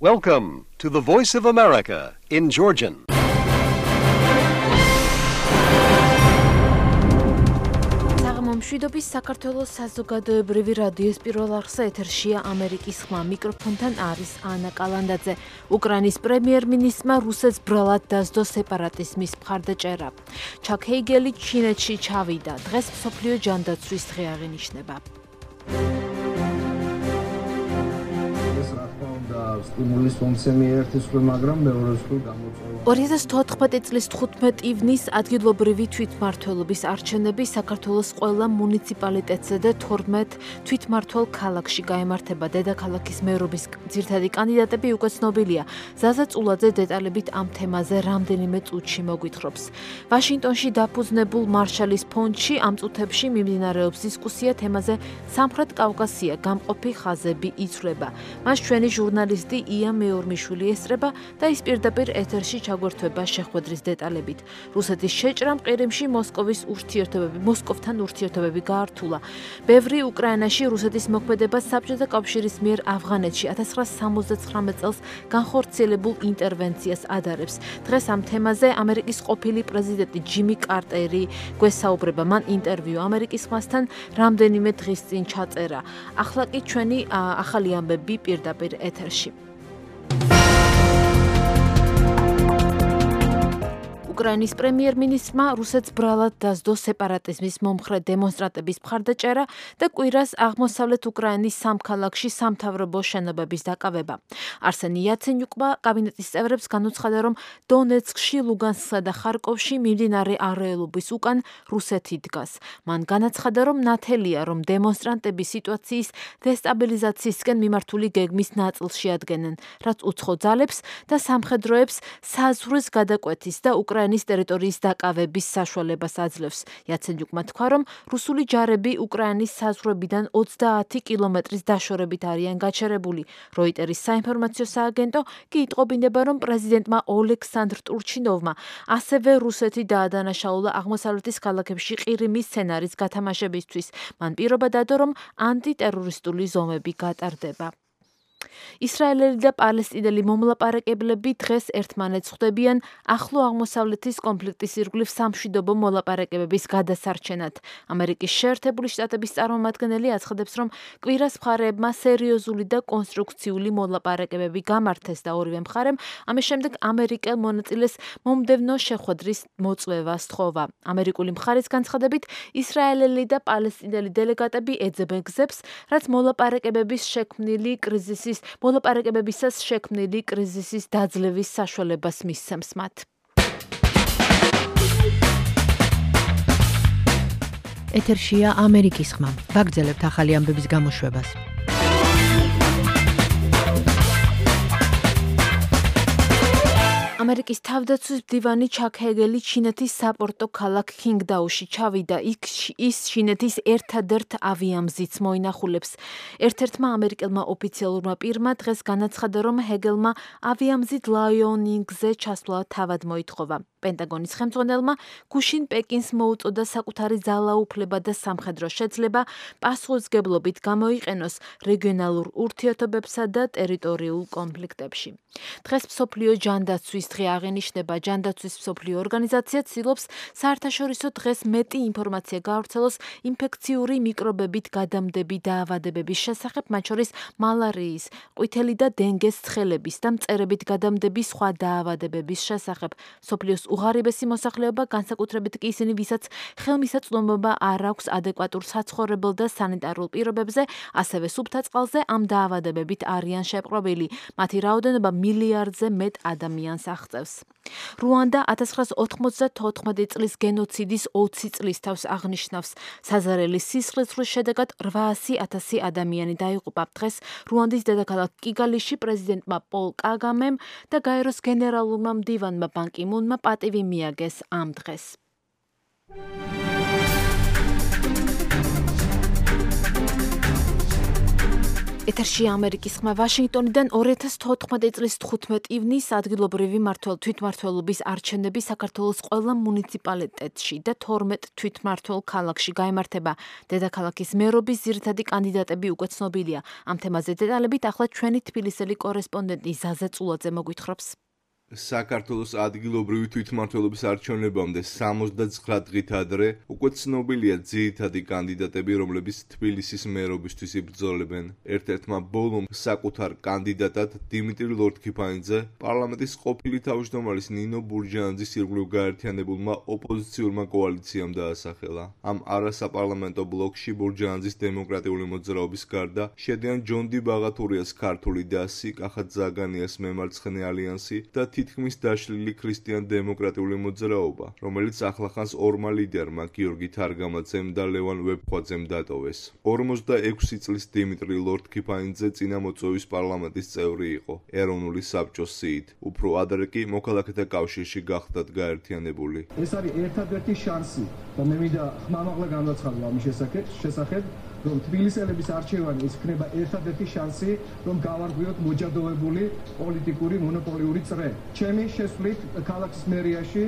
Welcome to the Voice of America in Georgian. მშვიდობის საქართველოს საზოგადოებრივი რადიოს პირველ არხზე ეთერშია ამერიკის ხმა. მიკროფონთან არის ანა კალანდაძე. უკრაინის პრემიერ-მინისტრმა რუსეთს ბრალად დასდო სეპარატიზმის მხარდაჭერა. ჩაკ ჰეიგელი ჩინეთში ჩავიდა. დღეს მსოფლიო ჯანდაცვის დღე აღინიშნება. სტიმულის მომცემი ერთის ხრი, მაგრამ მეორე ხრი გამოწვევა. 2014 წლის 15 ივნის ადგილობრივი თვითმმართველობის არჩევნები საქართველოს ყველა მუნიციპალიტეტზე და 12 თვითმმართველ ქალაქში გაიმართება. დედაქალაქის მერობის ძირითადი კანდიდატები უკვე ცნობილია. ზაზა წულაძე დეტალებით ამ თემაზე რამდენიმე წუთში მოგვითხრობს. ვაშინგტონში დაფუძნებულ მარშალის ფონდში ამ წუთებში მიმდინარეობს დისკუსია თემაზე სამხრეთ კავკასია გამყოფი ხაზები იცვლება. მას ჩვენი ჟურნალისტი ია მეორმიშვილი ესწრება და ის პირდაპირ ეთერში ჩაგვერთვება შეხვედრის დეტალებით. რუსეთის შეჭრამ ყირიმში მოსკოვთან ურთიერთობები გაართულა. ბევრი უკრაინაში რუსეთის მოქმედებას საბჭოთა კავშირის მიერ ავღანეთში 1969 წელს განხორციელებულ ინტერვენციას ადარებს. დღეს ამ თემაზე ამერიკის ყოფილი პრეზიდენტი ჯიმი კარტერი გვესაუბრება. მან ინტერვიუ ამერიკის ხმასთან რამდენიმე დღის წინ ჩაწერა. ახლა კი ჩვენი ახალი ამბები პირდაპირ ეთერში. უკრაინის პრემიერ-მინისტრმა რუსეთს ბრალად დასდო სეპარატიზმის მომხრე დემონსტრანტების მხარდაჭერა და კვირას აღმოსავლეთ უკრაინის სამ ქალაქში სამთავრობო შენობების დაკავება. არსენი იაცენიუკმა კაბინეტის წევრებს განუცხადა, რომ დონეცკში, ლუგანსკსა და ხარკოვში მიმდინარე არეულობის უკან რუსეთი დგას. მან განაცხადა, რომ ნათელია, რომ დემონსტრანტები სიტუაციის დესტაბილიზაციისკენ მიმართული გეგმის ნაწილს შეადგენენ, რაც უცხო ძალებს და სამხედროებს საზღვრის გადაკვეთის და უკრაინის ტერიტორიის დაკავების საშუალებას აძლევს. იაცენიუკმა თქვა, რომ რუსული ჯარები უკრაინის საზღვრებიდან 30 კილომეტრის დაშორებით არიან გაჩერებული. როიტერის საინფორმაციო სააგენტო კი იტყობინება, რომ პრეზიდენტმა ოლექსანდრ ტურჩინოვმა ასევე რუსეთი დაადანაშაულა აღმოსავლეთის ქალაქებში ყირიმის სცენარის გათამაშებისთვის. მან პირობა დადო, რომ ანტიტერორისტული ზომები გატარდება. ისრაელელი და პალესტინელი მომლაპარაკებლები დღეს ერთმანეთს ხვდებიან ახლო აღმოსავლეთის კონფლიქტის ირგვლივ სამშვიდობო მოლაპარაკებების გადასარჩენად. ამერიკის შეერთებული შტატების წარმომადგენელი აცხადებს, რომ კვირას მხარეებმა სერიოზული და კონსტრუქციული მოლაპარაკებები გამართეს და ორივე მხარემ ამის შემდეგ ამერიკელ მონაწილეს მომდევნო შეხვედრის მოწვევა სთხოვა. ამერიკული მხარის განცხადებით, ისრაელელი და პალესტინელი დელეგატები ეძებენ გზებს, რაც მოლაპარაკებებისას შექმნილი კრიზისის დაძლევის საშუალებას მისცემს მათ. ეთერშია ამერიკის ხმა. ვაგრძელებთ ახალი ამბების გამოშვებას. ამერიკის თავდაცვის მდივანი ჩაკ ჰეგელი ჩინეთის საპორტო ქალაქ ქინგდაუში ჩავიდა. ის ჩინეთის ერთადერთ ავიამზიდს მოინახულებს. ერთ-ერთმა ამერიკელმა ოფიციალურმა პირმა დღეს განაცხადა, რომ ჰეგელმა ავიამზიდ ლაიონინგზე ჩასვლა თავად მოითხოვა. პენტაგონის ხელმძღვანელმა გუშინ პეკინს მოუწოდა საკუთარი ძალაუფლება და სამხედრო შეძლება პასუხისმგებლობით გამოიყენოს რეგიონალურ ურთიერთობებსა და ტერიტორიულ კონფლიქტებში. დღეს მსოფლიო ჯანდაცვის დღე აღინიშნება. ჯანდაცვის მსოფლიო ორგანიზაცია ცდილობს საერთაშორისო დღეს მეტი ინფორმაცია გაავრცელოს ინფექციური მიკრობებით გადამდები დაავადებების შესახებ, მათ შორის მალარიის, ყვითელი და დინგეს ცხელების და მწერებით გადამდები სხვა დაავადებების შესახებ. მსოფლიოს უღარიბესი მოსახლეობა, განსაკუთრებით კი ისინი, ვისაც ხელმისაწვდომობა არ აქვს ადეკვატურ საცხოვრებელ და სანიტარულ პირობებზე, ასევე სუფთა წყალზე ამ დაავადებებით არიან შეპყრობილი. მათი რაოდენობა მილიარდზე მეტ ადამიანს აღწევს. რუანდა 1994 წლის გენოციდის 20 წლის თავს აღნიშნავს. საზარელი სისხლისღვრის შედეგად 800,000 ადამიანი დაიღუპა. დღეს რუანდის დედაქალაქ კიგალიში პრეზიდენტმა პოლ კაგამემ და გაეროს გენერალურმა მდივანმა ბან კი მუნმა პატივი მიაგეს ამ დღეს. ეთერში ამერიკის ხმა ვაშინგტონიდან 2014 წლის 15 ივნისს ადგილობრივი თვითმმართველობის არჩევნები საქართველოს ყველა მუნიციპალიტეტში და 12 თვითმმართველ ქალაქში გაიმართება. დედაქალაქის მერობის ძირითადი კანდიდატები უკვე ცნობილია. ამ თემაზე დეტალებით ახლა ჩვენი თბილისელი კორესპონდენტი ზაზა წულაძე მოგვითხრობს. საქართველოს ადგილობრივი თვითმმართველობის არჩევნებამდე 79 დღით ადრე უკვე ცნობილია ძირითადი კანდიდატები, რომლებიც თბილისის მერობისთვის იბრძოლებენ. ერთ-ერთმა ბოლომ საკუთარ კანდიდატად დიმიტრი ლორთქიფანიძე პარლამენტის ყოფილი თავმჯდომარის ნინო ბურჯანაძის ირგვლივ გაერთიანებულმა ოპოზიციურმა კოალიციამ დაასახელა. ამ არასაპარლამენტო ბლოკში ბურჯანაძის დემოკრატიული მოძრაობის გარდა შედიან ჯონდი ბაღათურიას ქართული დასი, კახა ზაგანიას მემარცხენე ალიანსი და თითქმის დაშლილი ქრისტიან-დემოკრატიული მოძრაობა, რომელიც ახლახანს ორმა ლიდერმა გიორგი თარგამაძემ და ლევან ვეფხვაძემ დატოვეს. 46 წლის დიმიტრი ლორთქიფანიძე წინამოწვევის პარლამენტის წევრი იყო, ეროვნული საბჭოს სიით. უფრო ადრე კი მოქალაქეთა კავშირში გახდათ გაერთიანებული. ეს არის ერთადერთი შანსი და მე მინდა ხმამაღლა განვაცხადო ამის შესახებ, რომ თბილისელების არჩევანი ის იქნება ერთადერთი შანსი, რომ გავარღვიოთ მოჯადოვებული პოლიტიკური მონოპოლიური წრე. ჩემი შესვლით ქალაქის მერიაში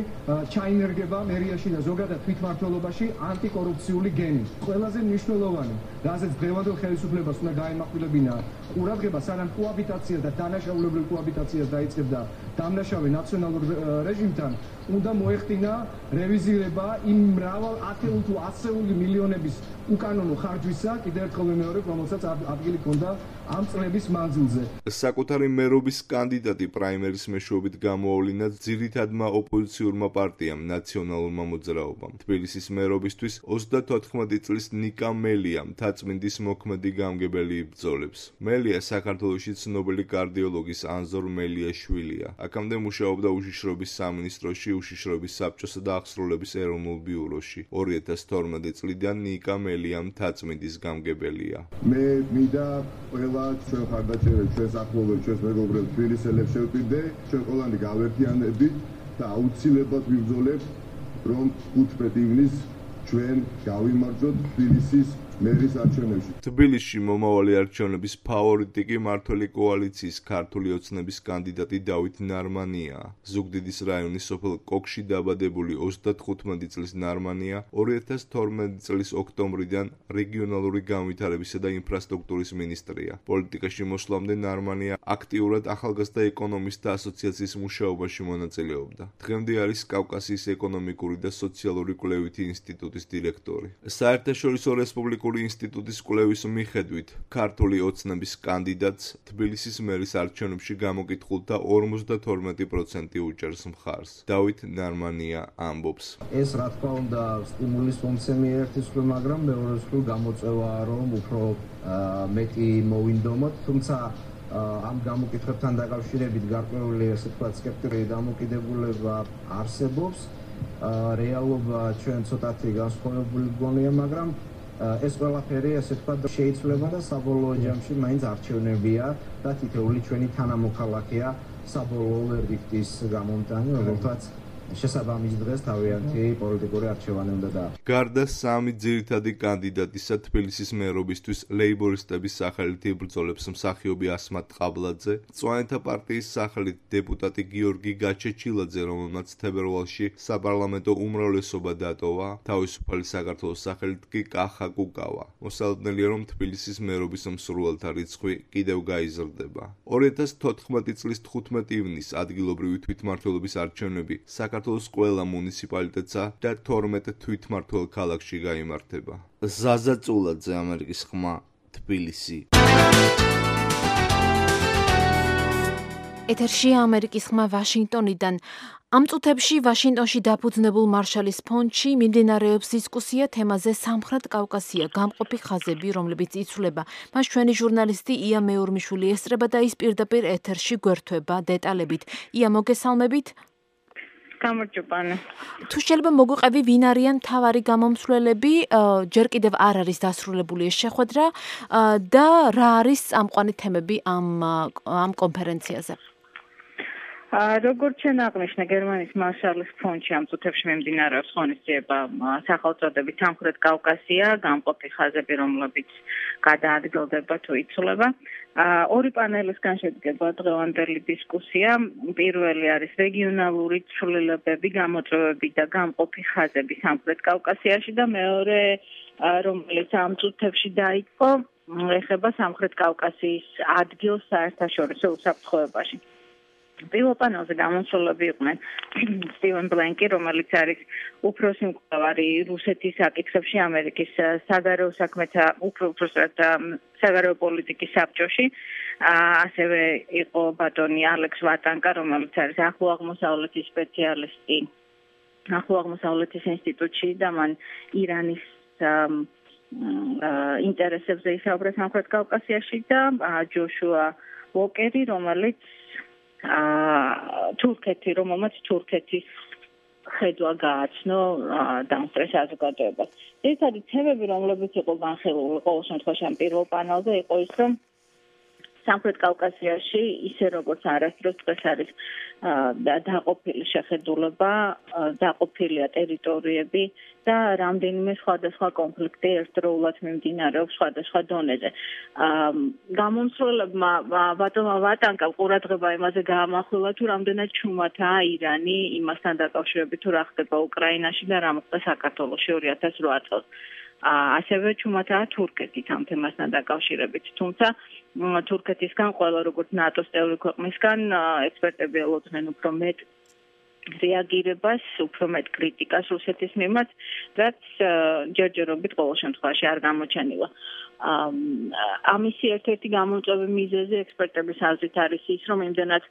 ჩაინერგება მერიაში და ზოგადად თვითმმართველობაში ანტიკორუფციული გენი. ყველაზე მნიშვნელოვანი, რაზეც დღევანდელ ხელისუფლებას უნდა გაემახვილებინა ყურადღება, სანამ კოაბიტაცია და დანაშაულებრივ კოაბიტაციას დაიწყებდა დამნაშავე ნაციონალურ რეჟიმთან, უნდა მოეხდინა რევიზირება იმ მრავალ ათეული თუ ასეული მილიონების უკანონო ხარჯვისა, კიდევ ერთხელ ვიმეორებ, რომელსაც ადგილი ჰქონდა ამ წლების მანძილზე. საკუთარი მერობის კანდიდატი პრაიმერის მეშვეობით გამოავლინა ძირითადმა ოპოზიციურმა პარტიამ ნაციონალურმა მოძრაობამ. თბილისის მერობისთვის 34 წლის ნიკა მელია მთაწმინდის მოქმედი გამგებელი იბრძოლებს. მელია საქართველოში ცნობილი კარდიოლოგის ანზორ მელიაშვილია. აქამდე მუშაობდა უშიშრობის სამინისტროში, უშიშრობის საბჭოსა და აღსრულების ეროვნულ ბიუროში. 2012 წლიდან ნიკა მელია მთაწმინდის გამგებელია. მე მინდა ყველა ჩვენ ხარდაჭერებს, ჩვენს ახლობლებს, ჩვენს მეგობრებს თბილისელებს შევპირდე, ჩვენ ყველანი გავერთიანებით და აუცილებლად ვიბრძოლებთ, რომ 15 ივნისს ჩვენ გავიმარჯვოთ თბილისის მერის არჩევნებში. თბილისში მომავალი არჩევნების ფავორიტი კი მმართველი კოალიციის ქართული ოცნების კანდიდატი დავით ნარმანიაა. ზუგდიდის რაიონის სოფელ კოქში დაბადებული 35 წლის ნარმანია 2012 წლის ოქტომბრიდან რეგიონალური განვითარებისა და ინფრასტრუქტურის მინისტრია. პოლიტიკაში მოსვლამდე ნარმანია აქტიურად ახალგაზრდა ეკონომისტთა ასოციაციის მუშაობაში მონაწილეობდა. დღემდე არის კავკასიის ეკონომიკური და სოციალური კვლევითი ინსტიტუტის დირექტორი. საერთაშორისო რესპუბლიკური ინსტიტუტის კვლევის მიხედვით, ქართული ოცნების კანდიდატს თბილისის მერის არჩევნებში გამოკითხულთა 52% უჭერს მხარს. დავით ნარმანია ამბობს. ეს რა თქმა უნდა სტიმულის მომცემია ერთის მხრივ, მაგრამ მეორე მხრივ გამოწვევაა, რომ უფრო მეტი მოვინდომოთ, თუმცა ამ გამოკითხვებთან დაკავშირებით გარკვეული ასე ვთქვათ სკეპტიკური დამოკიდებულება არსებობს. რეალობა ჩვენ ცოტათი განსხვავებული გონია, მაგრამ ეს ყველაფერი ასე ვთქვათ შეიცვლება და საბოლოო ჯამში მაინც არჩევნებია და თითოეული ჩვენი თანამოქალაქეა საბოლოო ვერდიქტის გამომტანი, რომელთაც შესაბამის დღეს თავიანთი პოლიტიკური არჩევანი უნდა დააფასოს. გარდა სამი ძირითადი კანდიდატისა თბილისის მერობისთვის ლეიბორისტების სახელით იბრძოლებს მსახიობი ასმათ ყაბლაძე, მწვანეთა პარტიის სახელით დეპუტატი გიორგი გაჩეჩილაძე, რომელმაც თებერვალში საპარლამენტო უმრავლესობა დატოვა, თავისუფალი საქართველოს სახელით კი კახა კუკავა. მოსალოდნელია, რომ თბილისის მერობის მსურველთა რიცხვი კიდევ გაიზრდება. 2014 წლის 15 ივნისს ადგილობრივი თვითმმართველობის არჩევნები საქართველოს ყველა მუნიციპალიტეტსა და 12 თვითმმართველ ქალაქში გაიმართება. ზაზა წულაძე, ამერიკის ხმა, თბილისი. ეთერში ამერიკის ხმა ვაშინგტონიდან. ამ წუთებში ვაშინგტონში დაფუძნებულ მარშალის ფონდში მიმდინარეობს დისკუსია თემაზე სამხრეთ კავკასია, გამყოფი ხაზები, რომლებიც იცვლება. მას ჩვენი ჟურნალისტი ია მეურმიშვილი ესწრება და ის პირდაპირ ეთერში გვერდება დეტალებით. ია, მოგესალმებით. გამარჯობა. თუ შეიძლება მოგვიყევი, ვინ არიან მთავარი გამომცვლელები, ჯერ კიდევ არ არის დასრულებული ეს შეხვედრა და რა არის წამყვანი თემები ამ კონფერენციაზე? როგორც ჩვენ აღნიშნა გერმანიის მარშალის ფონდში ამ წუთებში მიმდინარეობს ღონისძიება სახელწოდებით სამხრეთ კავკასია, გამყოფი ხაზები, რომლებიც გადაადგილდება თუ იცვლება. ორი პანელისგან შედგება დღევანდელი დისკუსია. პირველი არის რეგიონალური ცვლილებები, გამოწვევები და გამყოფი ხაზები სამხრეთ კავკასიაში და მეორე, რომელიც ამ წუთებში დაიწყო, ეხება სამხრეთ კავკასიის ადგილს საერთაშორისო უსაფრთხოებაში. პირველ პანელზე გამოსვლები იყვნენ სტივენ ბლენკი, რომელიც არის უფროსი მკვლევარი რუსეთის საკითხებში ამერიკის საგარეო საქმეთა უпроსტად საგარეო პოლიტიკის საბჭოში. ასევე იყო ბატონი ალექს ვატანკა, რომელიც არის ახლო აღმოსავლეთის სპეციალისტი ახლო აღმოსავლეთის ინსტიტუტში და მან ირანის ინტერესებზე ისაუბრა სამხრეთ კავკასიაში და ჯოშუა ვოკერი, რომელიც რომელმაც თურქეთის ხედვა გააცნო დამსწრე საზოგადოებას. ერთადი თემები, რომლებიც იყო განხილული ყოველ შემთხვევაში ამ პირველ პანელზე, იყო ის, რომ სამხრეთ კავკასიაში ისე როგორც არასდროს დღეს არის დაყოფილი შეხედულება, დაყოფილია ტერიტორიები და რამდენიმე სხვადასხვა კონფლიქტი ერთდროულად მიმდინარეობს სხვადასხვა დონეზე. გამომსვლელებმა ბატონმა ვატანკამ ყურადღება იმაზე გაამახვილა, თუ რამდენად ჩუმათაა ირანი იმასთან დაკავშირებით, თუ რა ხდება უკრაინაში და რა მოხდა საქართველოში 2008 წელს. ასევე ჩუმათაა თურქეთის ამ თემასთან დაკავშირებით. თუმცა თურქეთისგან ყველა როგორც ნატოს წევრი ქვეყნისგან ექსპერტები ელოდნენ უფრო მეტ რეაგირებას, უფრო მეტ კრიტიკას რუსეთის მიმართ, რაც ჯერჯერობით ყოველ შემთხვევაში არ გამოჩენილა. ამისი ერთ-ერთი გამოწვევი მიზეზი ექსპერტების აზრით არის ის, რომ იმდენად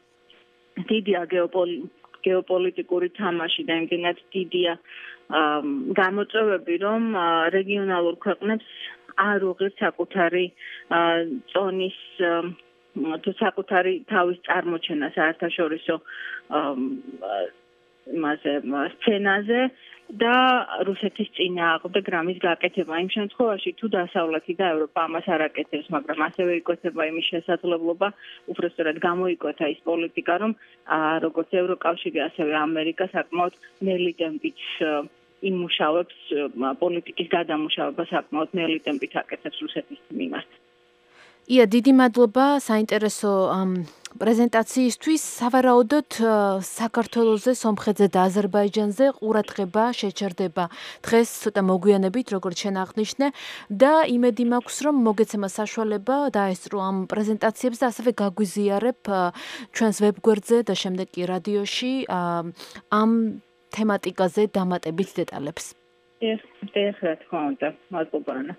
დიდია გეოპოლიტიკური თამაში და იმდენად დიდია გამოწვევები, რომ რეგიონალურ ქვეყნებს არ უღირთ საკუთარი წონის თუ საკუთარი თავის წარმოჩენა საერთაშორისო სცენაზე და რუსეთის წინააღმდეგ რამის გაკეთება. იმ შემთხვევაში თუ დასავლეთი და ევროპა ამას არ აკეთებს, მაგრამ ასევე იკვეთება იმის შესაძლებლობა, უბრალოდ გამოიკვეთა ის პოლიტიკა, რომ როგორც ევროკავშირი, ასევე ამერიკა საკმაოდ ნელი ტემპით იმუშავებს პოლიტიკის გადამუშავება საკმაოდ ნელი ტემპით აკეთებს რუსეთის მიმართ. ია, დიდი მადლობა საინტერესო პრეზენტაციისთვის. სავარაუდოდ საქართველოზე, სომხეთზე და აზერბაიჯანზე ყურადღება შეჩერდება დღეს ცოტა მოგვიანებით, როგორც შენ აღნიშნე და იმედი მაქვს, რომ მოგეცემა საშუალება დაესწრო ამ პრეზენტაციებს და ასევე გაგვიზიარებ ჩვენს ვებგვერდზე და შემდეგ კი რადიოში ამ თემატიკაზე დამატებით დეტალებს. რა თქმა უნდა, მადლობა ანა.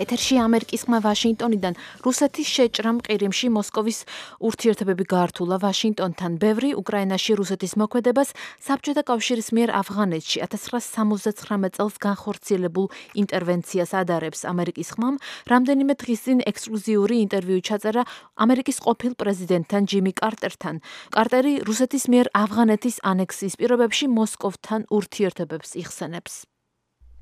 ეთერში ამერიკის ხმა ვაშინგტონიდან. რუსეთის შეჭრამ ყირიმში მოსკოვის ურთიერთობები გაართულა ვაშინგტონთან. ბევრი უკრაინაში რუსეთის მოქმედებას საბჭოთა კავშირის მიერ ავღანეთში 1969 წელს განხორციელებულ ინტერვენციას ადარებს. ამერიკის ხმამ რამდენიმე დღის წინ ექსკლუზიური ინტერვიუ ჩაწერა ამერიკის ყოფილ პრეზიდენტთან ჯიმი კარტერთან. კარტერი რუსეთის მიერ ავღანეთის ანექსიის პირობებში მოსკოვთან ურთიერთობებს იხსენებს.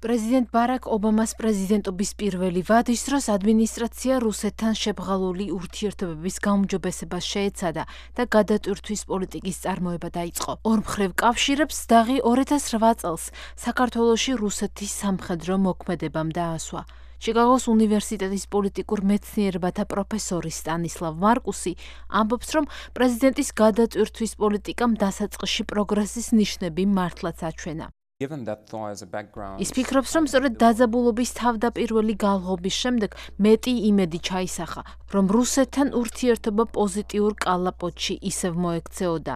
პრეზიდენტ ბარაკ ობამას პრეზიდენტობის პირველი ვადის დროს ადმინისტრაცია რუსეთთან შებრალული ურთიერთობების გაუმჯობესებას შეეცადა და გადატვირთვის პოლიტიკის წარმოება დაიწყო. ორმხრივ კავშირებს დაღი 2008 წელს საქართველოში რუსეთის სამხედრო მოქმედებამ დაასვა. ჩიკაგოს უნივერსიტეტის პოლიტიკურ მეცნიერებათა პროფესორი სტანისლავ მარკუსი ამბობს, რომ პრეზიდენტის გადატვირთვის პოლიტიკამ დასაწყისში პროგრესის ნიშნები მართლაც აჩვენა. ის ფიქრობს, რომ სწორედ დაძაბულობის თავდაპირველი გალღობის შემდეგ მეტი იმედი ჩაისახა, რომ რუსეთთან ურთიერთობა პოზიტიურ კალაპოტში ისევ მოექცეოდა.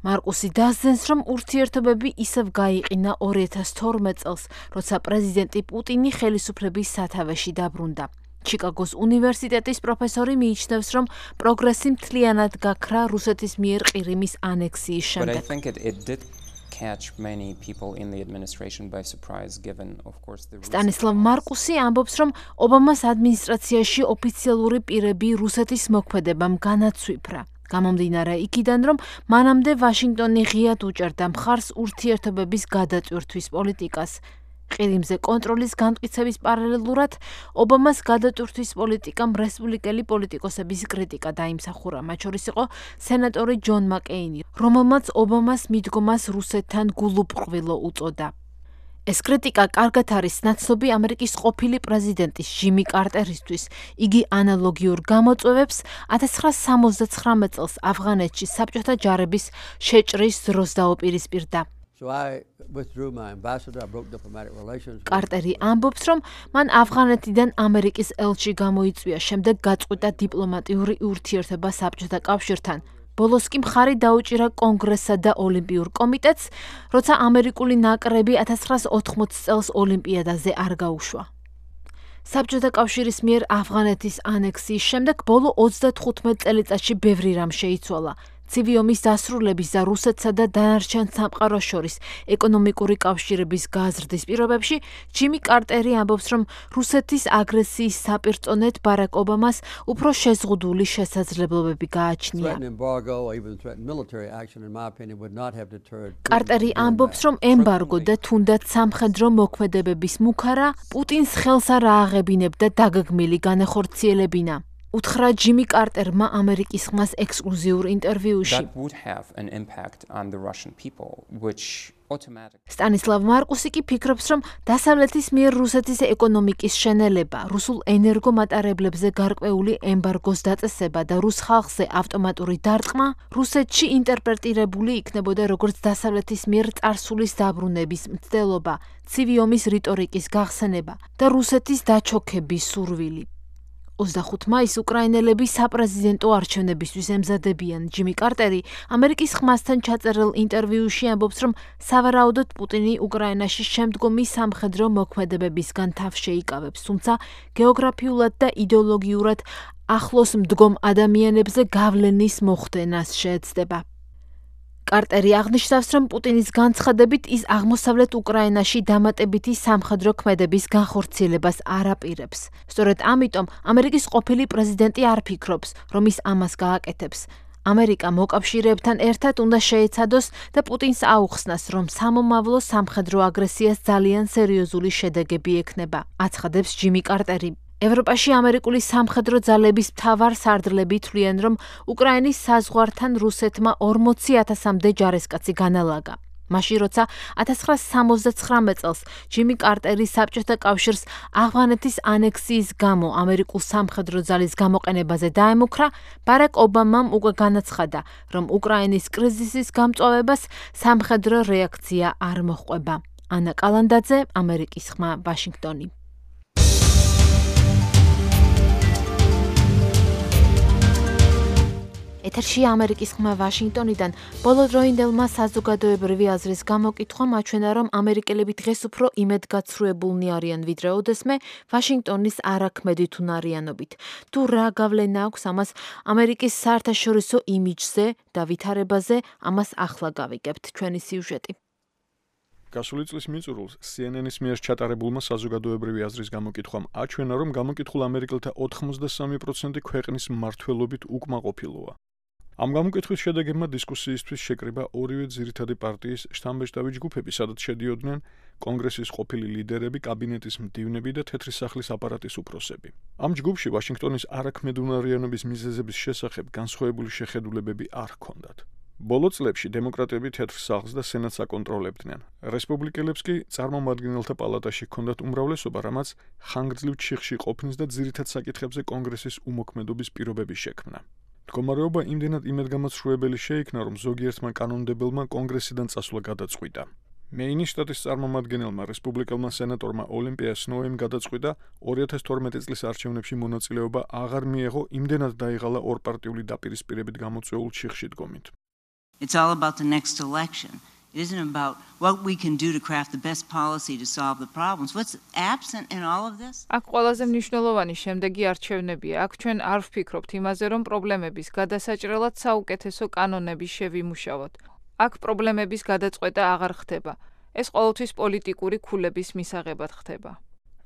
მარკუსი დასძენს, რომ ურთიერთობები ისევ გაიყინა 2012 წელს, როცა პრეზიდენტი პუტინი ხელისუფლების სათავეში დაბრუნდა. ჩიკაგოს უნივერსიტეტის პროფესორი მიიჩნევს, რომ პროგრესი მთლიანად გაქრა რუსეთის მიერ ყირიმის ანექსიის შემდეგ. სტანისლავ მარკუსი ამბობს, რომ ობამას ადმინისტრაციაში ოფიციალური პირები რუსეთის მოქმედებამ განაცვიფრა. გამომდინარე იქიდან, რომ მანამდე ვაშინგტონი ღიად უჭერდა მხარს ურთიერთობების გადატვირთვის პოლიტიკას. ყირიმზე კონტროლის განმტკიცების პარალელურად ობამას გადატვირთვის პოლიტიკამ რესპუბლიკელი პოლიტიკოსების კრიტიკა დაიმსახურა, მათ შორის იყო სენატორი ჯონ მაკეინი, რომელმაც ობამას მიდგომას რუსეთთან გულუბრყვილო უწოდა. ეს კრიტიკა კარგად არის ნაცნობი ამერიკის ყოფილი პრეზიდენტის ჯიმი კარტერისთვის. იგი ანალოგიურ გამოწვევებს 1979 წელს ავღანეთში საბჭოთა ჯარების შეჭრის დროს დაუპირისპირდა. კარტერი ამბობს, რომ მან ავღანეთიდან ამერიკის ელჩი გამოიწვია, შემდეგ გაწყვიტა დიპლომატიური ურთიერთობა საბჭოთა კავშირთან. ბოლოს კი მხარი დაუჭირა კონგრესსა და ოლიმპიურ კომიტეტს, როცა ამერიკული ნაკრები 1980 წელს ოლიმპიადაზე არ გაუშვა. საბჭოთა კავშირის მიერ ავღანეთის ანექსიის შემდეგ ბოლო 35 წელიწადში ბევრი რამ შეიცვალა. ცივი ომის დასრულების და რუსეთსა და დანარჩენ სამყაროს შორის ეკონომიკური კავშირების გაზრდის პირობებში ჯიმი კარტერი ამბობს, რომ რუსეთის აგრესიის საპირწონედ ბარაკ ობამას უფრო შეზღუდული შესაძლებლობები გააჩნია. კარტერი ამბობს, რომ ემბარგო და თუნდაც სამხედრო მოქმედებების მუქარა პუტინს ხელს არ ააღებინებდა დაგეგმილი განახორციელებინა. უთხრა ჯიმი კარტერმა ამერიკის ხმას ექსკლუზიურ ინტერვიუში. სტანისლავ მარკუსი კი ფიქრობს, რომ დასავლეთის მიერ რუსეთის ეკონომიკის შენელება, რუსულ ენერგომატარებლებზე გარკვეული ემბარგოს დაწესება და რუს ხალხზე ავტომატური დარტყმა რუსეთში ინტერპრეტირებული იქნებოდა როგორც დასავლეთის მიერ წარსულის დაბრუნების მცდელობა, ცივი ომის რიტორიკის გახსენება და რუსეთის დაჩოქების სურვილი. 25 მაისს უკრაინელები საპრეზიდენტო არჩევნებისთვის ემზადებიან. ჯიმი კარტერი ამერიკის ხმასთან ჩაწერილ ინტერვიუში ამბობს, რომ სავარაუდოდ პუტინი უკრაინაში შემდგომი სამხედრო მოქმედებებისგან თავს შეიკავებს, თუმცა გეოგრაფიულად და იდეოლოგიურად ახლოს მდგომ ადამიანებზე გავლენის მოხდენას შეეცდება. კარტერი აღნიშნავს, რომ პუტინის განცხადებით ის აღმოსავლეთ უკრაინაში დამატებითი სამხედრო ქმედების განხორციელებას არ აპირებს. სწორედ ამიტომ ამერიკის ყოფილი პრეზიდენტი არ ფიქრობს, რომ ის ამას გააკეთებს. ამერიკა მოკავშირეებთან ერთად უნდა შეეცადოს და პუტინს აუხსნას, რომ სამომავლო სამხედრო აგრესიას ძალიან სერიოზული შედეგები ექნება, აცხადებს ჯიმი კარტერი. ევროპაში ამერიკული სამხედრო ძალების მთავარ სარდლები თვლიან, რომ უკრაინის საზღვართან რუსეთმა 40,000-მდე ჯარისკაცი განალაგა. მაშინ, როცა 1969 წელს ჯიმი კარტერი საბჭოთა კავშირს ავღანეთის ანექსიის გამო ამერიკულ სამხედრო ძალის გამოყენებაზე დაემუქრა, ბარაკ ობამამ უკვე განაცხადა, რომ უკრაინის კრიზისის გამწვავებას სამხედრო რეაქცია არ მოჰყვება. ანა კალანდაძე, ამერიკის ხმა, ვაშინგტონი. ეთერში ამერიკის ხმა ვაშინგტონიდან. ბოლოდროინდელმა საზოგადოებრივი აზრის გამოკითხვამ აჩვენა, რომ ამერიკელები დღეს უფრო იმედგაცრუებულნი არიან ვიდრე ოდესმე ვაშინგტონის არაქმედით უნარიანობით. თუ რა გავლენა აქვს ამას ამერიკის საერთაშორისო იმიჯზე და ვითარებაზე, ამას ახლა გავიგებთ ჩვენი სიუჟეტი. გასული წლის მიწურულს CNN-ის მიერ ჩატარებულმა საზოგადოებრივი აზრის გამოკითხვამ აჩვენა, რომ გამოკითხულ ამერიკელთა 83% ქვეყნის მმართველობით უკმაყოფილოა. ამ გამოკითხვის შედეგებმა დისკუსიისთვის შეკრიბა ორივე ძირითადი პარტიის შთამბეჭდავი ჯგუფები, სადაც შედიოდნენ კონგრესის ყოფილი ლიდერები, კაბინეტის მდივნები და თეთრი სახლის აპარატის უფროსები. ამ ჯგუფში ვაშინგტონის არაქმედუნარიანობის მიზეზების შესახებ განსხვავებული შეხედულებები არ ჰქონდათ. ბოლო წლებში დემოკრატები თეთრ სახლს და სენატს აკონტროლებდნენ. რესპუბლიკელებს კი წარმომადგენელთა პალატაში ჰქონდათ უმრავლესობა, რამაც ხანგრძლივ ჩიხში ყოფნის და ძირითად საკითხებზე კონგრესის უმოქმედობის პირობები შექმნა. მდგომარეობა იმდენად იმედგამოცრუებელი შეიქმნა, რომ ზოგიერთმა კანონმდებელმა კონგრესიდან წასვლა გადაწყვიტა. მეინის შტატის წარმომადგენელმა რესპუბლიკელმა სენატორმა ოლიმპია სნოუემ გადაწყვიტა 2012 წლის არჩევნებში მონაწილეობა აღარ მიეღო, იმდენად დაიღალა ორპარტიული დაპირისპირებით გამოწვეულ ჩიხში დგომით. It's all about the next election. It isn't about what we can do to craft the best policy to solve the problems. What's absent in all of this? აქ ყველაზე მნიშვნელოვანი შემდეგი არჩევნებია. აქ ჩვენ არ ვფიქრობთ იმაზე, რომ პრობლემების გადასაჭრელად საუკეთესო კანონები შევიმუშავოთ. აქ პრობლემების გადაწყვეტა აღარ ხდება. ეს ყოველთვის პოლიტიკური ქულების მისაღებად ხდება.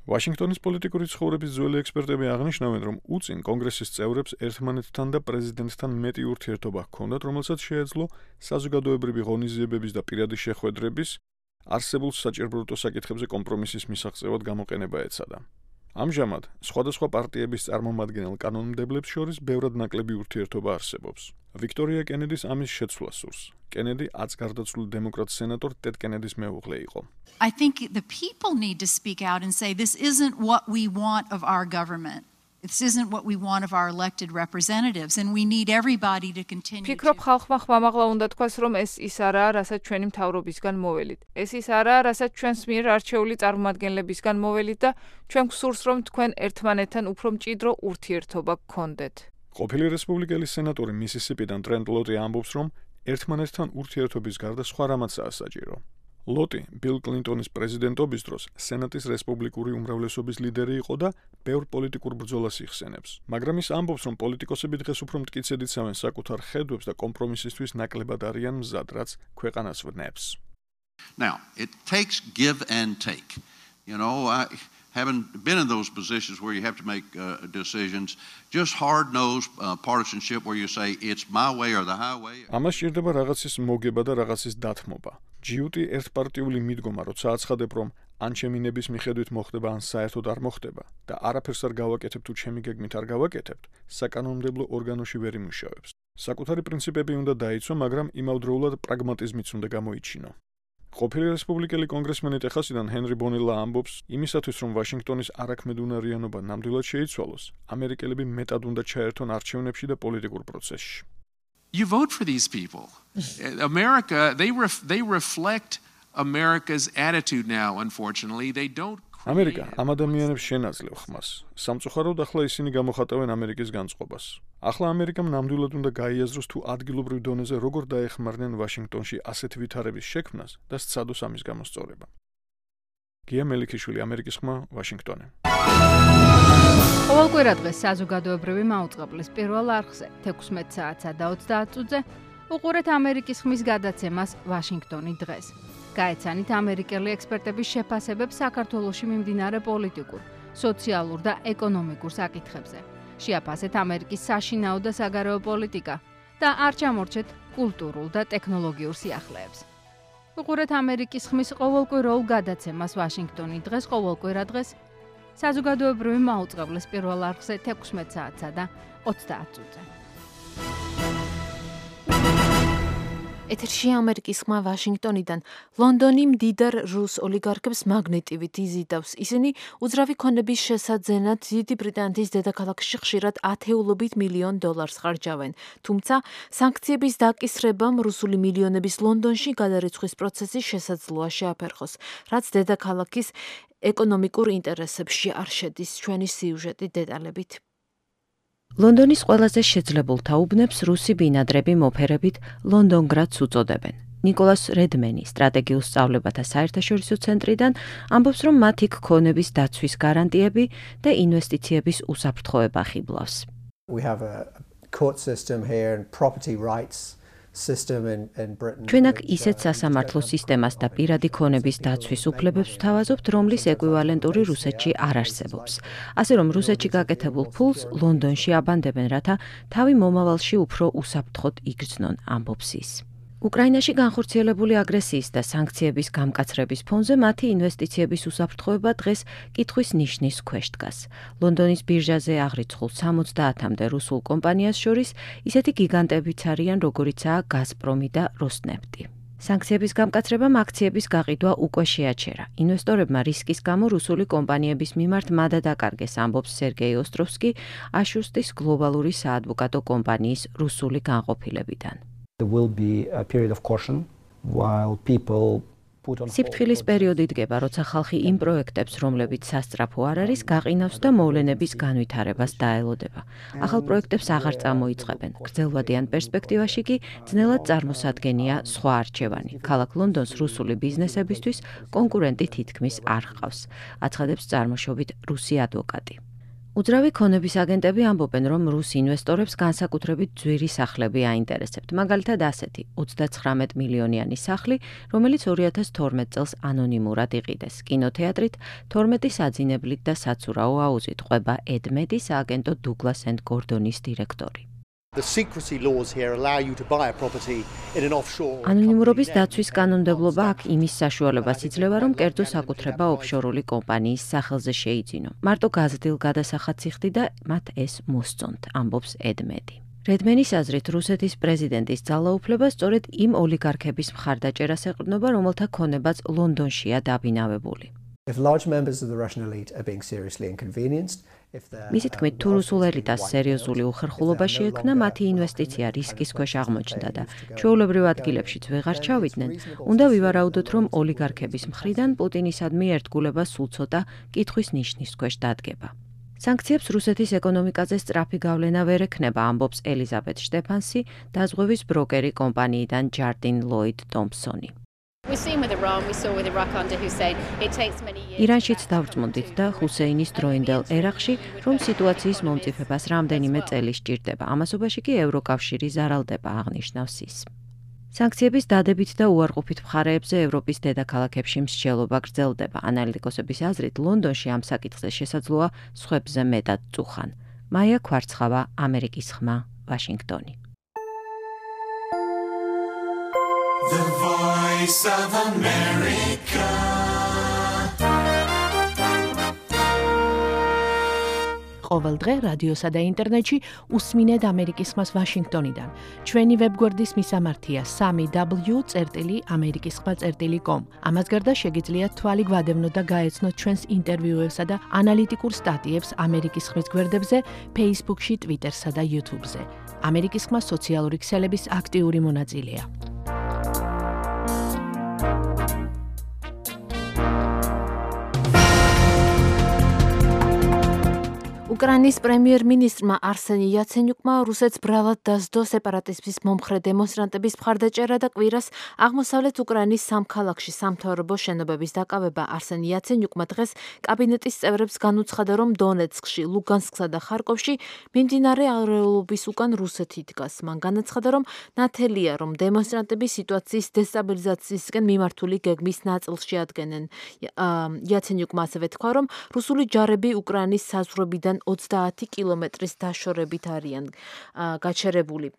ვაშინგტონის პოლიტიკური ცხოვრების ძველი ექსპერტები აღნიშნავენ, რომ უწინ კონგრესის წევრებს ერთმანეთთან და პრეზიდენტთან მეტი ურთიერთობა ჰქონდათ, რომელსაც შეეძლო საზოგადოებრივი ღონისძიებების და პირადი შეხვედრების, არსებულ საჭიროებრივ საკითხებზე კომპრომისის მისაღწევად გამოყენება ეცადა. ამჟამად სხვადასხვა პარტიების წარმომადგენელ კანონმდებლებს შორის ბევრად ნაკლები ურთიერთობა არსებობს. ვიქტორია კენედის ამის შეცვლა სურს. კენედი აც გარდაცვლილ დემოკრატ სენატორ ტედ კენედის მეუღლე იყო. I think the people need to speak out and say this isn't what we want of our government. This isn't what we want of our elected representatives and we need everybody to continue. ფიქრობ ხალხმა ხმამაღლა უნდა თქვას, რომ ეს ის არაა, რასაც ჩვენი მთავრობისგან მოველით. ეს ის არაა, რასაც ჩვენს მიერ არჩეული წარმომადგენლებისგან მოველით და ჩვენ გვსურს, რომ თქვენ ერთმანეთთან უფრო მჭიდრო ურთიერთობა გქონდეთ. ყოფილი რესპუბლიკელი სენატორი მისისიპიდან ტრენტ ლოტი ამბობს, რომ ერთმანეთთან ურთიერთობის გარდა სხვა რამაცაა საჭირო. ლოტი ბილ კლინტონის პრეზიდენტობის დროს სენატის რესპუბლიკური უმრავლესობის ლიდერი იყო და ბევრ პოლიტიკურ ბრძოლას იხსენებს. მაგრამ ის ამბობს, რომ პოლიტიკოსები დღეს უფრო მტკიცედ იცავენ საკუთარ ხედვებს და კომპრომისისთვის ნაკლებად არიან მზად, რაც ქვეყანას ვნებს. Now, it takes give and take. You know, I haven't been in those positions where you have to make decisions, just hard-nosed partisanship where you say it's my way or the highway. ამას სჭირდება რაღაცის მოგება და რაღაცის დათმობა. ჯიუტი ერთპარტიული მიდგომა, როცა აცხადებ, რომ ან ჩემი ნების მიხედვით მოხდება, ან საერთოდ არ მოხდება და არაფერს არ გავაკეთებ თუ ჩემი გეგმით არ გავაკეთებთ, საკანონმდებლო ორგანოში ვერ იმუშავებს. საკუთარი პრინციპები უნდა დაიცვა, მაგრამ იმავდროულად პრაგმატიზმიც უნდა გამოიჩინო. ყოფილი რესპუბლიკელი კონგრესმენი ტეხასიდან ჰენრი ბონილა ამბობს, იმისათვის რომ ვაშინგტონის არაქმედუნარიანობა ნამდვილად შეიცვალოს, ამერიკელები მეტად უნდა ჩაერთონ არჩევნებში და პოლიტიკურ პროცესში. You vote for these people. America, they reflect America's attitude now, unfortunately. They don't ამერიკა ამ ადამიანებს შენაძლევ ხმას. სამწუხაროდ ახლა ისინი გამოხატავენ ამერიკის განწყობას. ახლა ამერიკამ ნამდვილად უნდა გაიაზროს თუ ადგილობრივ დონეზე როგორ დაეხმარნენ ვაშინგტონში ასეთ ვითარების შექმნას და სცადოს ამის გამოსწორება. გია მელიქიშვილი, ამერიკის ხმა, ვაშინგტონი. ყოველკვირა დღეს საზოგადოებრივი მაუწყებლის პირველ არხზე 16 საათსა და 30 წუთზე უყურეთ ამერიკის ხმის გადაცემას ვაშინგტონი დღეს. გაეცანით ამერიკელი ექსპერტების შეფასებებს საქართველოში მიმდინარე პოლიტიკურ, სოციალურ და ეკონომიკურ საკითხებზე. შეაფასეთ ამერიკის საშინაო და საგარეო პოლიტიკა და არ ჩამორჩეთ კულტურულ და ტექნოლოგიურ სიახლეებს. უყურეთ ამერიკის ხმის ყოველკვირეულ გადაცემას ვაშინგტონი დღეს ყოველკვირა დღეს საზოგადოებრივი მაუწყებლის პირველ არხზე 16 საათსა და 30 წუთზე. ეთერში ამერიკის ხმა ვაშინგტონიდან. ლონდონი მდიდარ რუს ოლიგარქებს მაგნეტივით იზიდავს. ისინი უძრავი ქონების შესაძენად დიდი ბრიტანეთის დედაქალაქში ხშირად ათეულობით მილიონ დოლარს ხარჯავენ. თუმცა სანქციების დაკისრებამ რუსული მილიონების ლონდონში გადარიცხვის პროცესი შესაძლოა შეაფერხოს, რაც დედაქალაქის ეკონომიკურ ინტერესებში არ შედის. ჩვენი სიუჟეტი დეტალებით. ლონდონის ყველაზე შეძლებულთა უბნებს რუსი ბინადრები მოფერებით ლონდონგრადს უწოდებენ. ნიკოლას რედმენი სტრატეგიულ სწავლებათა საერთაშორისო ცენტრიდან ამბობს, რომ მათ იქ ქონების დაცვის გარანტიები და ინვესტიციების უსაფრთხოება ხიბლავს. We have a court system here and property rights system in Britain. ჩვენ აქ ისეთ სასამართლო სისტემას და პირადი ქონების დაცვის უფლებებს ვთავაზობთ, რომლის ეკვივალენტური რუსეთში არ არსებობს. ასე რომ რუსეთში გაკეთებულ ფულს ლონდონში აბანდებენ, რათა თავი მომავალში უფრო უსაფრთხოდ იგრძნონ, ამბობს ის. უკრაინაში განხორციელებული აგრესიის და სანქციების გამკაცრების ფონზე მათი ინვესტიციების უსაფრთხოება დღეს კითხვის ნიშნის ქვეშ დგას. ლონდონის ბირჟაზე აღრიცხულ 70-მდე რუსულ კომპანიას შორის ისეთი გიგანტებიც არიან, როგორიცაა გაზპრომი და როსნეფტი. სანქციების გამკაცრებამ აქციების გაყიდვა უკვე შეაჩერა. ინვესტორებმა რისკის გამო რუსული კომპანიების მიმართ მადა დაკარგეს, ამბობს სერგეი ოსტროვსკი აშუსტის გლობალური საადვოკატო კომპანიის რუსული განყოფილებიდან. There will be a period of caution while people put on სიფრთხილის პერიოდი დგება, როცა ხალხი იმ პროექტებს, რომლებიც სასწრაფო არ არის, გაყინავს და მოვლენების განვითარებას დაელოდება. ახალ პროექტებს აღარ წამოიწყებენ. გრძელვადიან პერსპექტივაში კი ძნელად წარმოსადგენია სხვა არჩევანი. ქალაქ ლონდონს რუსული ბიზნესებისთვის კონკურენტი თითქმის არ ჰყავს, აცხადებს წარმოშობით რუსი ადვოკატი. უძრავი ქონების აგენტები ამბობენ, რომ რუს ინვესტორებს განსაკუთრებით ძვირი სახლები აინტერესებთ. მაგალითად ასეთი 39 მილიონიანი სახლი, რომელიც 2012 წელს ანონიმურად იყიდეს. კინოთეატრით, 12 საძინებლით და საცურაო აუზით ყვება ედ მედი სააგენტო დუგლას ენდ გორდონის დირექტორი. The secrecy laws here allow you to buy a property in an offshore. ანონიმურობის დაცვის კანონმდებლობა აქ იმის საშუალებას იძლევა, რომ კერძო საკუთრება ოფშორული კომპანიის სახელზე შეიძინო. მარტო გაზრდილ გადასახადს იხდი და მათ ეს მოსწონთ, ამბობს ედმედი. რედმენის აზრით, რუსეთის პრეზიდენტის ძალაუფლება სწორედ იმ ოლიგარქების მხარდაჭერას ეყრდნობა, რომელთა ქონებაც ლონდონშია დაბინავებული. If large members of the Russian elite are being seriously inconvenienced, მისი თქმით, თუ რუსულ ელიტას სერიოზული უხერხულობა შეექმნა, მათი ინვესტიცია რისკის ქვეშ აღმოჩნდა და ჩვეულებრივ ადგილებშიც ვეღარ ჩავიდნენ, უნდა ვივარაუდოთ, რომ ოლიგარქების მხრიდან პუტინისადმი ერთგულება სულ ცოტა კითხვის ნიშნის ქვეშ დადგება. სანქციებს რუსეთის ეკონომიკაზე სწრაფი გავლენა ვერ ექნება, ამბობს ელიზაბეთ შტეფანსი, დაზღვევის ბროკერი კომპანიიდან ჯარდინ ლოიდ ტომპსონი. ირანშიც დავწმუნდით და ჰუსეინის დროინდელ ერაყში, რომ სიტუაციის მომწიფებას რამდენიმე წელი სჭირდება. ამასობაში კი ევროკავშირი ზარალდება, აღნიშნავს ის. სანქციების დადებით და უარყოფით მხარეებზე ევროპის დედაქალაქებში მსჯელობა გრძელდება. ანალიტიკოსების აზრით, ლონდონში ამ საკითხზე შესაძლოა სხვებზე მეტად წუხან. მაია ქვარცხავა, ამერიკის ხმა, ვაშინგტონი. The Voice of America. ყოველ დღე რადიოსა და ინტერნეტში უსმინეთ ამერიკის ხმას ვაშინგტონიდან. ჩვენი ვებგვერდის მისამართია 3w.amerikiskhma.com. ამას გარდა შეგიძლიათ თვალი გვადევნოთ და გაეცნოთ ჩვენს ინტერვიუებსა და ანალიტიკურ სტატიებს ამერიკის ხმის გვერდებზე, Facebook-ში, Twitter-სა და YouTube-ზე. ამერიკის ხმა სოციალური ქსელების აქტიური მონაწილეა. უკრაინის პრემიერ-მინისტრმა არსენი იაცენიუკმა რუსეთს ბრალად დასდო სეპარატიზმის მომხრე დემონსტრანტების მხარდაჭერა და კვირას აღმოსავლეთ უკრაინის სამ ქალაქში სამთავრობო შენობების დაკავება. არსენი იაცენიუკმა დღეს კაბინეტის წევრებს განუცხადა, რომ დონეცკში, ლუგანსკსა და ხარკოვში მიმდინარე არეულობის უკან რუსეთი დგას. მან განაცხადა, რომ ნათელია, რომ დემონსტრანტები სიტუაციის დესტაბილიზაციისკენ მიმართული გეგმის ნაწილს შეადგენენ. იაცენიუკმა ასევე თქვა, რომ რუსული ჯარები უკრაინის საზღვრებიდან 30 კილომეტრის დაშორებით არიან გაჩერებული.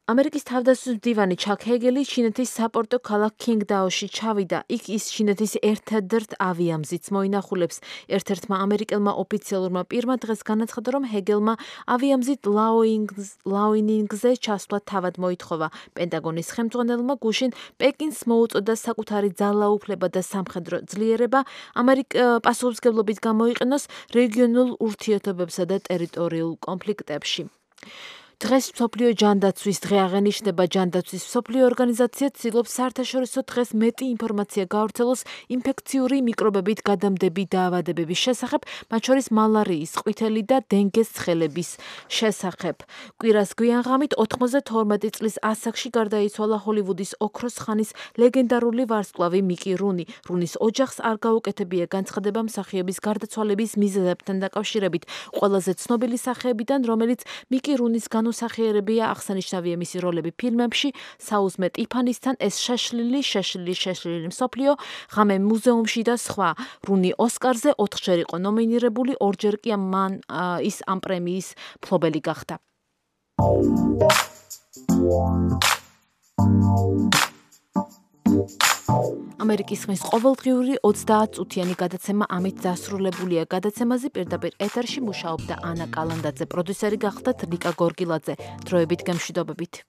ამერიკის თავდაცვის მდივანი ჩაკ ჰეგელი ჩინეთის საპორტო ქალაქ კინგდაოში ჩავიდა. იქ ის ჩინეთის ერთადერთ ავიამზიდს მოინახულებს. ერთ-ერთმა ამერიკელმა ოფიციალურმა პირმა დღეს განაცხადა, რომ ჰეგელმა ავიამზიდ ლაოინინგზე ჩასვლა თავად მოითხოვა. პენტაგონის ხელმძღვანელმა გუშინ პეკინს მოუწოდა საკუთარი ძალაუფლება და სამხედრო ძლიერება პასუხისმგებლობით გამოიყენოს რეგიონულ ურთიერთობებსა და ტერიტორიულ კონფლიქტებში. დღეს მსოფლიო ჯანდაცვის დღე აღენიშნება. ჯანდაცვის მსოფლიო ორგანიზაცია ცდილობს საერთაშორისო დღეს მეტი ინფორმაცია გავრცელოს ინფექციური მიკრობებით გადამდები დაავადებების შესახებ, მათ შორის მალარიის, ყვითელი და დინგეს ცხელების შესახებ. კვირას გვიანღამით 92 წლის ასაკში გარდაიცვალა ჰოლივუდის ოქროს ხანის ლეგენდარული ვარსკვლავი მიკი რუნი. რუნის ოჯახს არ გაუკეთებია განცხადება მსახიობის გარდაცვალების მიზეზებთან დაკავშირებით. ყველაზე ცნობილი სახეებიდან, რომელიც მიკი რუნის განუსახიერებია, აღსანიშნავია მისი როლები ფილმებში საუზმე ტიფანისთან, ეს შეშლილი მსოფლიო, ღამე მუზეუმში და სხვა. რუნი ოსკარზე 4-ჯერ იყო ნომინირებული, 2-ჯერ კი ის ამ პრემიის მფლობელი გახდა. ამერიკის ხმის ყოველდღიური 30 წუთიანი გადაცემა ამით დასრულებულია. გადაცემაზე პირდაპირ ეთერში მუშაობდა ანა კალანდაძე, პროდიუსერი გახდათ ლიკა გორგილაძე. დროებით გემშვიდობებით.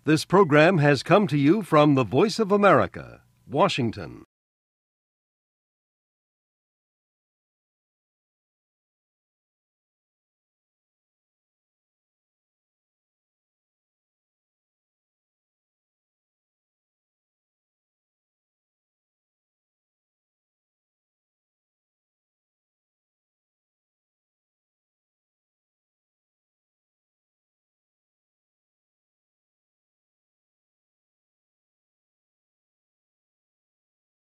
This program has come to you from the Voice of America, Washington.